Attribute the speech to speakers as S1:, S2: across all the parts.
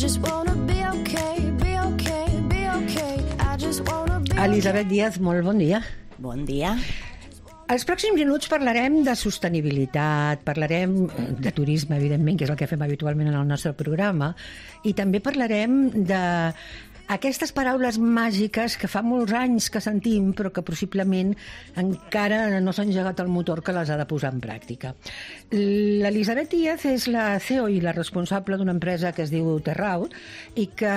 S1: just wanna be okay, be okay, be okay. I just wanna be okay.
S2: Elisabet Díaz, molt bon dia.
S3: Bon dia.
S2: Els pròxims minuts parlarem de sostenibilitat, parlarem de turisme, evidentment, que és el que fem habitualment en el nostre programa, i també parlarem d'aquestes paraules màgiques que fa molts anys que sentim, però que possiblement encara no s'ha engegat el motor que les ha de posar en pràctica. L'Elisabet Díaz és la CEO i la responsable d'una empresa que es diu Terraut i que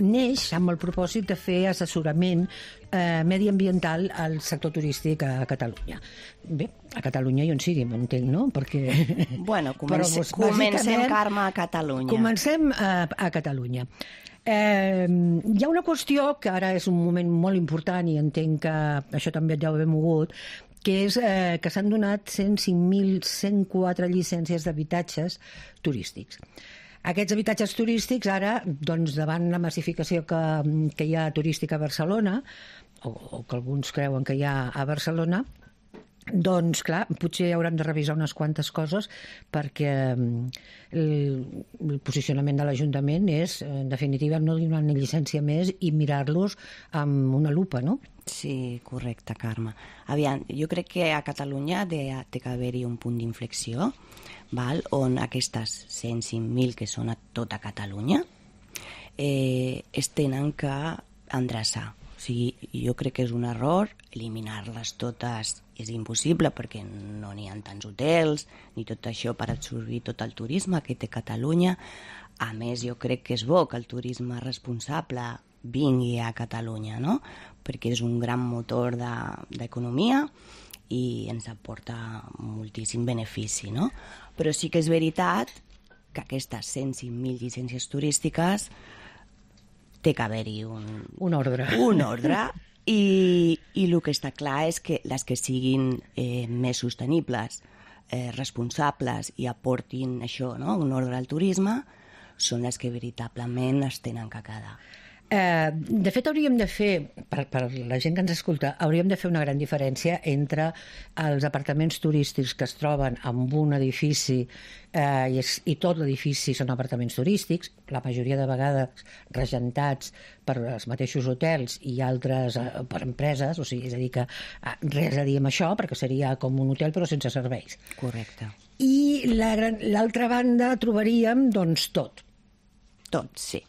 S2: neix amb el propòsit de fer assessorament mediambiental al sector turístic a Catalunya. Bé, a Catalunya i on sigui, m'entenc, no? Perquè...
S3: Bueno, comencem, Carme, a Catalunya.
S2: Comencem a Catalunya. Hi ha una qüestió que ara és un moment molt important i entenc que això també et deu haver mogut, que és que s'han donat 105.104 llicències d'habitatges turístics. Aquests habitatges turístics ara, doncs, davant la massificació que hi ha turística a Barcelona, o que alguns creuen que hi ha a Barcelona, doncs, clar, potser hauran de revisar unes quantes coses perquè el posicionament de l'Ajuntament és, en definitiva, no donar una llicència més i mirar-los amb una lupa, no?
S3: Sí, correcte, Carme. Aviam, jo crec que a Catalunya té que haver-hi un punt d'inflexió, on aquestes 105.000 que són a tota Catalunya es tenen que endreçar. O sigui, jo crec que és un error, eliminar-les totes és impossible perquè no n'hi ha tants hotels ni tot això per absorbir tot el turisme que té Catalunya. A més, jo crec que és bo que el turisme responsable vingui a Catalunya, no? Perquè és un gran motor d'economia i ens aporta moltíssim benefici, no? Però sí que és veritat que aquestes 105.000 llicències turístiques té que haver-hi
S2: un ordre.
S3: Un ordre i el que està clar és que les que siguin més sostenibles, responsables i aportin això, no? Un ordre al turisme, són les que veritablement es tenen que quedar.
S2: De fet, hauríem de fer, per la gent que ens escolta, hauríem de fer una gran diferència entre els apartaments turístics que es troben en un edifici i tot l'edifici són apartaments turístics, la majoria de vegades regentats per els mateixos hotels i altres per empreses, o sigui, és a dir que res a dir amb això, perquè seria com un hotel però sense serveis.
S3: Correcte.
S2: I l'altra banda trobaríem, doncs, tot.
S3: Tot, sí.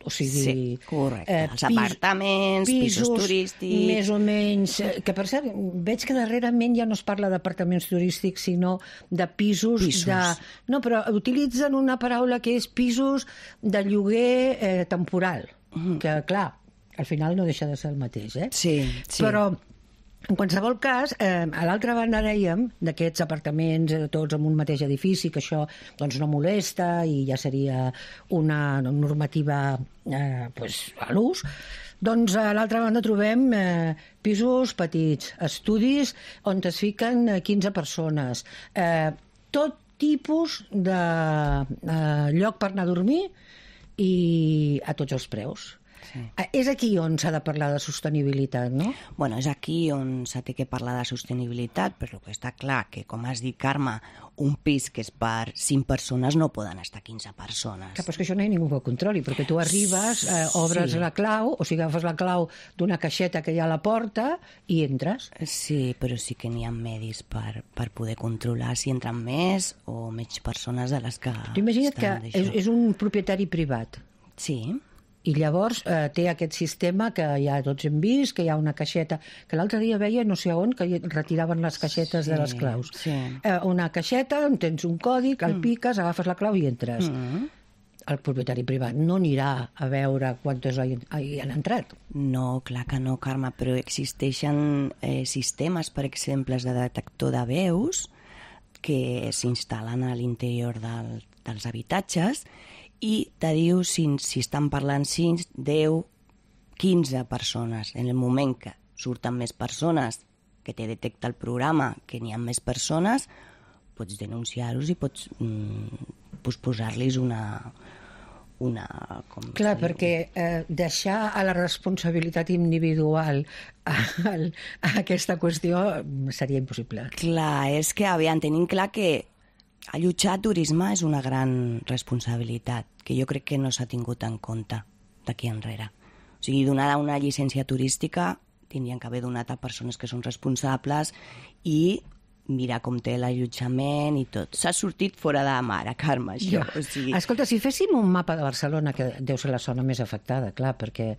S2: O sigui,
S3: sí, correcte. Els apartaments, pisos turístics...
S2: Més o menys... Que, per cert, veig que darrerament ja no es parla d'apartaments turístics, sinó de pisos. No, però utilitzen una paraula que és pisos de lloguer temporal. Que, clar, al final no deixa de ser el mateix, eh?
S3: Sí.
S2: Però... En qualsevol cas, a l'altra banda dèiem d'aquests apartaments tots en un mateix edifici, que això doncs, no molesta i ja seria una normativa a l'ús, doncs a l'altra banda trobem pisos petits, estudis on es fiquen 15 persones, tot tipus de lloc per anar a dormir i a tots els preus. Sí. És aquí on s'ha de parlar de sostenibilitat, no?
S3: Bueno, és aquí on s'ha de parlar de sostenibilitat, però que està clar que, com has dit, Carme, un pis que és per 5 persones no poden estar 15 persones.
S2: Però és que això no hi ha ningú que ho controli, perquè tu arribes, obres la clau, o sigui, agafes la clau d'una caixeta que hi ha a la porta i entres.
S3: Sí, però sí que n'hi ha medis per poder controlar si entren més o menys persones de les que...
S2: Tu imagina't que és un propietari privat.
S3: Sí.
S2: I llavors té aquest sistema que ja tots hem vist, que hi ha una caixeta, que l'altre dia veia no sé on, que retiraven les caixetes de les claus.
S3: Sí.
S2: Una caixeta on tens un còdic, el piques, agafes la clau i entres. El propietari privat no anirà a veure quantos hi han entrat.
S3: No, clar que no, Carme, però existeixen sistemes, per exemple, de detector de veus que s'instal·len a l'interior dels habitatges i te diu si estan parlant 5, 10, 15 persones. En el moment que surten més persones, que te detecta el programa que n'hi ha més persones, pots denunciar-los i pots posar-los una...
S2: Clar, perquè deixar a la responsabilitat individual a aquesta qüestió seria impossible.
S3: Clar, és que tenim clar que Allotjar turisme és una gran responsabilitat que jo crec que no s'ha tingut en compte d'aquí enrere. O sigui, donada una llicència turística tindrien que haver donat a persones que són responsables i mirar com té l'allotjament i tot. S'ha sortit fora de mare, Carme, això.
S2: Ja.
S3: O sigui...
S2: Escolta, si féssim un mapa de Barcelona, que deu ser la zona més afectada, clar, perquè...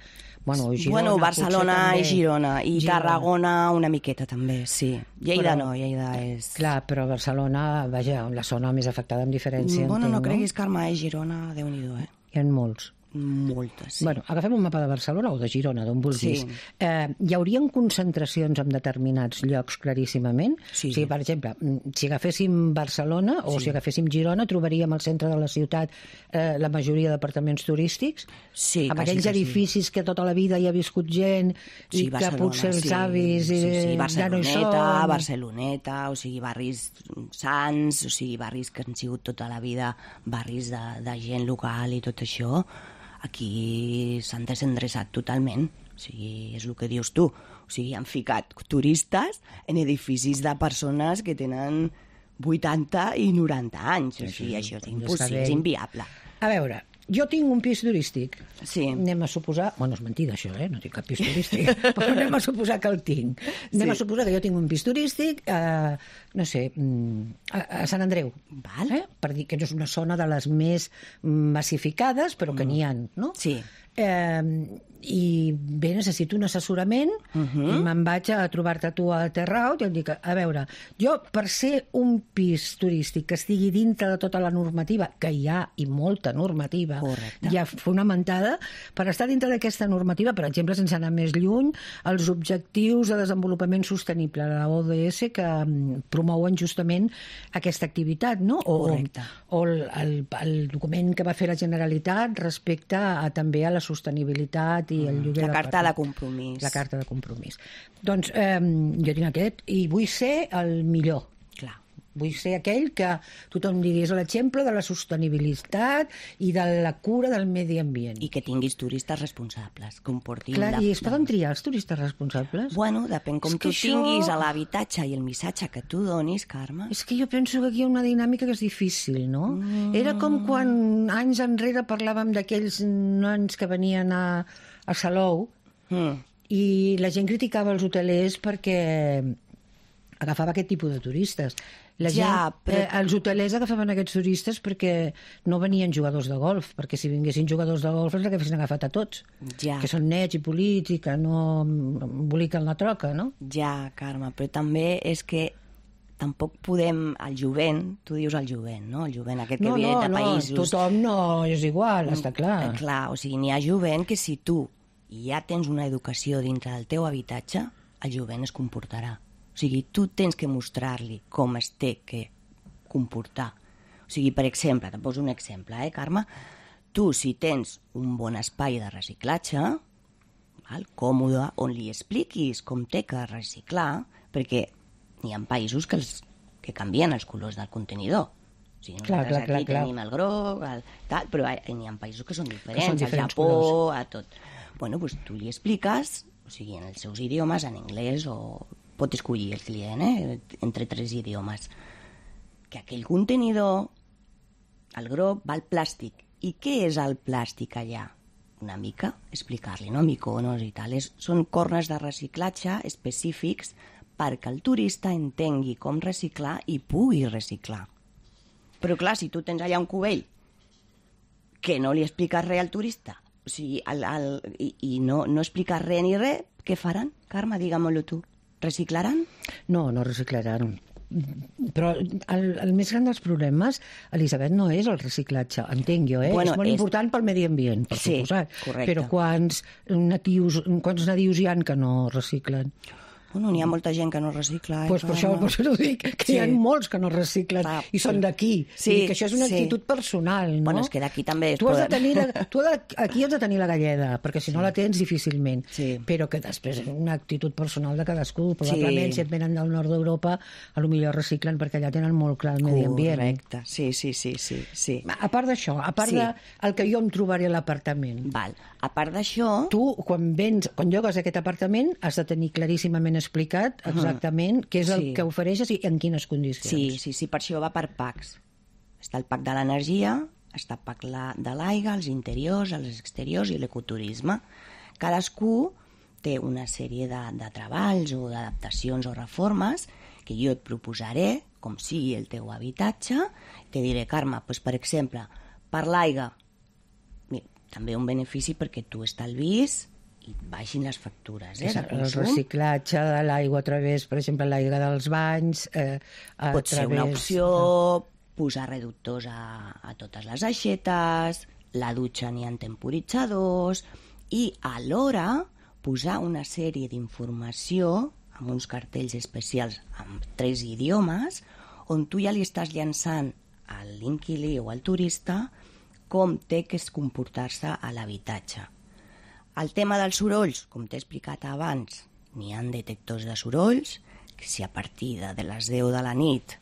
S2: Girona,
S3: Barcelona
S2: també.
S3: i Girona. I Tarragona una miqueta també, sí. Lleida no, Lleida és...
S2: Clar, però Barcelona, vaja, la zona més afectada amb diferència.
S3: Bueno, no
S2: entenc,
S3: creguis, Carme, Girona, Déu-n'hi-do,
S2: Hi ha molts.
S3: Moltes, sí.
S2: Bueno, agafem un mapa de Barcelona o de Girona, d'on vulguis.
S3: Sí.
S2: Hi haurien concentracions en determinats llocs claríssimament?
S3: Sí.
S2: O sigui, per exemple, si agaféssim Barcelona o si agaféssim Girona, trobaríem al centre de la ciutat la majoria d'apartaments turístics?
S3: Sí,
S2: amb aquells edificis que tota la vida hi ha viscut gent i que potser els avis ja no hi són.
S3: Barceloneta, o sigui, barris sants, o sigui, barris que han sigut tota la vida barris de gent local i tot això, aquí s'han desendreçat totalment. O sigui, és el que dius tu. O sigui, han ficat turistes en edificis de persones que tenen 80 i 90 anys. O sigui, això és impossible, és inviable.
S2: A veure, jo tinc un pis turístic.
S3: Sí.
S2: Anem a suposar... Bueno, és mentida, això, no tinc cap pis turístic, però anem a suposar que el tinc. Anem a suposar que jo tinc un pis turístic, no sé, a Sant Andreu.
S3: Val.
S2: Per dir que no és una zona de les més massificades, però que n'hi ha, no?
S3: Sí.
S2: I bé, necessito un assessorament i me'n vaig a trobar-te tu a Terraut i em dic, a veure, jo per ser un pis turístic que estigui dintre de tota la normativa, que hi ha i molta normativa ja fonamentada, per estar dintre d'aquesta normativa, per exemple, sense anar més lluny, els objectius de desenvolupament sostenible de la ODS que promouen justament aquesta activitat, no? O el document que va fer la Generalitat respecte també a la sostenibilitat i el lloguer
S3: la carta de compromís.
S2: La carta de compromís. Doncs jo tinc aquest i vull ser el millor.
S3: Clar.
S2: Vull ser aquell que tothom digui és l'exemple de la sostenibilitat i de la cura del medi ambient.
S3: I que tinguis turistes responsables, que portin...
S2: Clar, i es poden triar els turistes responsables?
S3: Bueno, depèn com tu tinguis a l'habitatge i el missatge que tu donis, Carme.
S2: És que jo penso que aquí hi ha una dinàmica que és difícil, no? Era com quan anys enrere parlàvem d'aquells nens que venien a Salou i la gent criticava els hotelers perquè agafava aquest tipus de turistes. Els hotelers agafaven aquests turistes perquè no venien jugadors de golf, perquè si vinguessin jugadors de golf els haguessin agafat a tots, que són nets i polits i que no emboliquen la troca, no?
S3: Ja, Carme, però també és que tampoc podem... El jovent, tu dius el jovent, no? El jovent aquest que ve de països...
S2: No, tothom no és igual, està clar.
S3: Clar, o sigui, n'hi ha jovent que si tu ja tens una educació dintre del teu habitatge, el jovent es comportarà. O sigui, tu tens que mostrar-li com es té que comportar. O sigui, per exemple, te poso un exemple, Carme? Tu, si tens un bon espai de reciclatge, còmode, on li expliquis com té que reciclar, perquè hi ha països que canvien els colors del contenidor. O sigui, nosaltres aquí tenim el groc, tal, però hi ha països que són diferents, al Japó, a tot. Bueno, doncs tu li expliques, o sigui, en els seus idiomes, en anglès o... pot escollir el client, entre 3 idiomes, que aquell contenidor, el groc, val plàstic. I què és el plàstic allà? Una mica, explicar-li, no? Miconos i tal. Són cornes de reciclatge específics perquè el turista entengui com reciclar i pugui reciclar. Però clar, si tu tens allà un cubell que no li expliques res al turista, o sigui, i no expliques res ni res, què faran? Carme, digue-m'ho tu. Reciclaran?
S2: No, no reciclaran. Però el més gran dels problemes, Elisabet, no és el reciclatge, entenc jo, Bueno, és molt important pel medi ambient, per suposat.
S3: Correcte.
S2: Però quants nadius hi ha que no reciclen?
S3: Bueno, n'hi ha molta gent que no recicla.
S2: Pues per això ho dic, que hi ha molts que no reciclen i són d'aquí. I que això és una actitud personal, no?
S3: Bueno, és que d'aquí també
S2: tu aquí has de tenir la galleda, perquè si no la tens difícilment. Però que després és una actitud personal de cadascú. Probablement, si et venen del nord d'Europa, potser reciclen perquè allà tenen molt clar el medi ambient.
S3: Correcte, sí.
S2: A part d'això, a part del que jo em trobaré a l'apartament.
S3: Val. A part d'això...
S2: Tu, quan llogues aquest apartament, has de tenir claríssimament explicat exactament què és el que ofereixes i en quines condicions.
S3: Sí, per això va per packs. Està el pack de l'energia, està el pack de l'aigua, els interiors, els exteriors i l'ecoturisme. Cadascú té una sèrie de treballs o d'adaptacions o reformes que jo et proposaré, com sigui el teu habitatge. Te diré, Carme, doncs, per exemple, per l'aigua, també un benefici perquè tu estalvis i baixin les factures de consum.
S2: El reciclatge de l'aigua a través, per exemple, l'aigua dels banys...
S3: Pot ser una opció, posar reductors a totes les aixetes, la dutxa n'hi ha temporitzadors, i alhora posar una sèrie d'informació amb uns cartells especials amb 3 idiomes, on tu ja li estàs llançant a l'inquilí o al turista com té que comportar-se a l'habitatge. El tema dels sorolls, com t'he explicat abans, n'hi ha detectors de sorolls, que si a partir de les 10 de la nit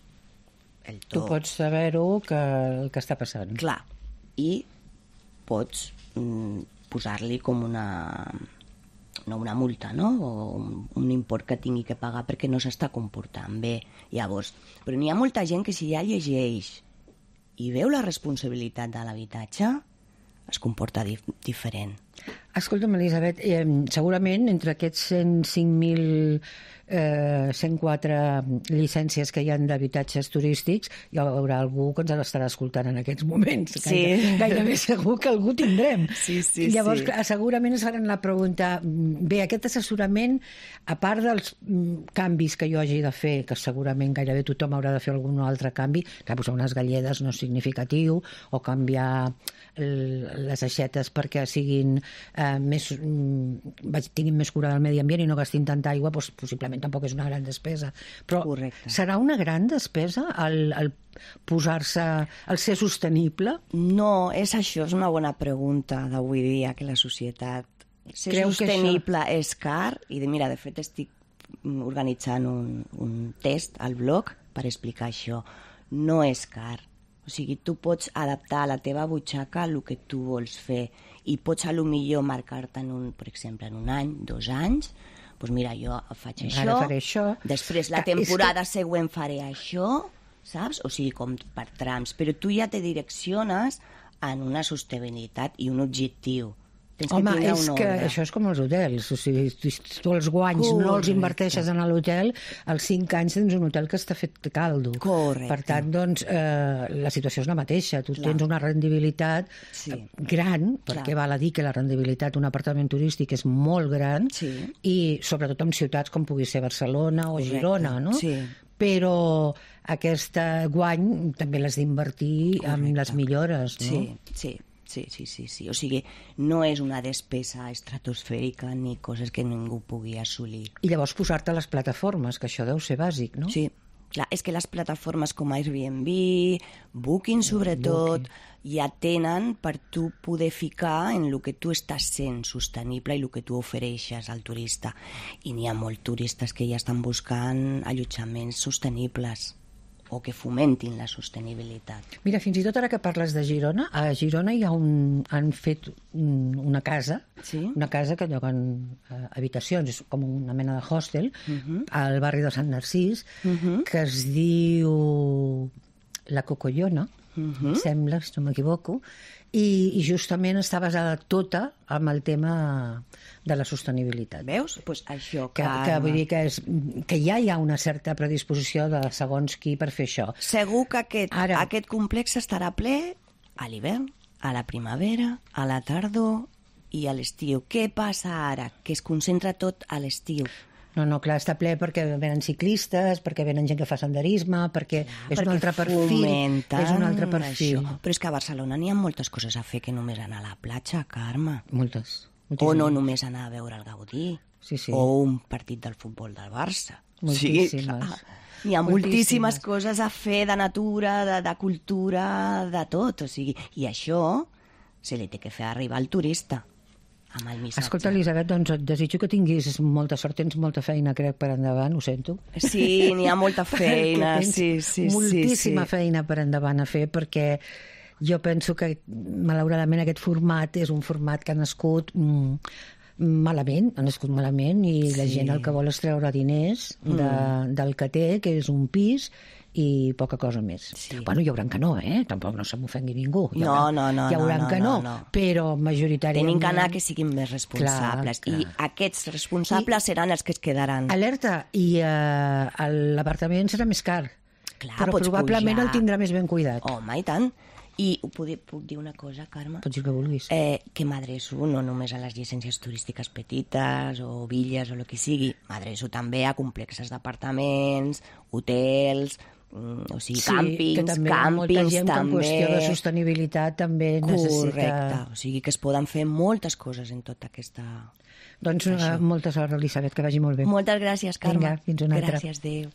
S2: tu pots saber-ho el que està passant.
S3: Clar, i pots posar-li com no una multa, no? O un import que tingui que pagar perquè no s'està comportant bé. Llavors, però n'hi ha molta gent que si ja llegeix i veu la responsabilitat de l'habitatge, es comporta diferent.
S2: Escolta'm, Elisabet, segurament entre aquests 104 llicències que hi ha d'habitatges turístics hi haurà algú que ens estarà escoltant en aquests moments.
S3: Sí.
S2: Gairebé segur que algú tindrem.
S3: Sí.
S2: Llavors, segurament es faran la pregunta, bé, aquest assessorament, a part dels canvis que jo hagi de fer, que segurament gairebé tothom haurà de fer algun altre canvi, que posar unes galledes no és significatiu, o canviar les aixetes perquè siguin tinguin més cura del medi ambient i no gastin tanta aigua, doncs possiblement tampoc és una gran despesa. Però
S3: correcte.
S2: Serà una gran despesa el posar-se, el ser sostenible?
S3: No, és això, és una bona pregunta d'avui dia, que la societat... Ser sostenible és car, i mira, de fet estic organitzant un test al blog per explicar això. No és car. O sigui, tu pots adaptar a la teva butxaca el que tu vols fer i pots a lo millor marcar-te, per exemple, en un any, 2 anys, doncs mira, jo faig això,
S2: ara faré això,
S3: després la temporada següent faré això, saps? O sigui, com per trams, però tu ja te direcciones en una sostenibilitat i un objectiu.
S2: Home, és que això és com els hotels, o sigui, tu els guanys no els inverteixes en l'hotel, als 5 anys tens un hotel que està fet caldo.
S3: Correcte.
S2: Per tant, doncs, la situació és la mateixa, tu tens una rendibilitat gran, perquè val a dir que la rendibilitat d'un apartament turístic és molt gran, i sobretot en ciutats com pugui ser Barcelona o Girona, no?
S3: Sí.
S2: Però aquest guany també l'has d'invertir en les millores, no?
S3: Sí. O sigui, no és una despesa estratosfèrica ni coses que ningú pugui assolir.
S2: I llavors posar-te a les plataformes, que això deu ser bàsic, no?
S3: Sí, clar, és que les plataformes com Airbnb, Booking sobretot, ja tenen per tu poder ficar en el que tu estàs sent sostenible i el que tu ofereixes al turista. I n'hi ha molts turistes que ja estan buscant allotjaments sostenibles o que fomentin la sostenibilitat.
S2: Mira, fins i tot ara que parles de Girona, a Girona han fet una casa, una casa que lloguen habitacions, és com una mena de hostel, al barri de Sant Narcís, que es diu La Cocollona, sembla, si no m'equivoco, i justament està basada tota en el tema de la sostenibilitat.
S3: Veus? Pues això,
S2: que vull dir que ja hi ha una certa predisposició de segons qui per fer això.
S3: Segur que aquest complex estarà ple a l'hivern, a la primavera, a la tardor i a l'estiu. Què passa ara? Que es concentra tot a l'estiu.
S2: No, clar, està ple perquè venen ciclistes, perquè venen gent que fa senderisme, perquè és un altre perfil. És un altre perfil.
S3: Això. Però és que a Barcelona n'hi ha moltes coses a fer que només anar a la platja, Carme.
S2: Moltes.
S3: O no només anar a veure el Gaudí. O un partit del futbol del Barça.
S2: Moltíssimes.
S3: Hi ha moltíssimes coses a fer de natura, de cultura, de tot. O sigui, i això se li té que fer arribar al turista.
S2: Escolta, Elisabet, doncs et desitjo que tinguis molta sort, tens molta feina, crec, per endavant, ho sento.
S3: Sí, n'hi ha molta feina,
S2: moltíssima feina per endavant a fer, perquè jo penso que, malauradament, aquest format és un format que ha nascut malament, ha nascut malament, i la gent el que vol és treure diners del que té, que és un pis, i poca cosa més. Bueno, hi haurà que no, tampoc no se m'ofengui ningú. Hi haurà que no, però majoritàriament...
S3: Tenim que anar que siguin més responsables. Clar. I aquests responsables seran els que es quedaran.
S2: Alerta, i l'apartament serà més car.
S3: Clar,
S2: però probablement el tindrà més ben cuidat.
S3: Home, i tant. I puc dir una cosa, Carme?
S2: Pots dir que vulguis.
S3: Que m'adreço no només a les llicències turístiques petites o villes o el que sigui, m'adreço també a complexes d'apartaments, hotels, o sigui, càmpings,
S2: que també molta gent que en qüestió de sostenibilitat també necessita...
S3: Correcte, o sigui que es poden fer moltes coses en tota aquesta...
S2: Doncs molta sort, Elisabet, que vagi molt bé.
S3: Moltes gràcies, Carme.
S2: Vinga, fins una altra.
S3: Gràcies, adéu.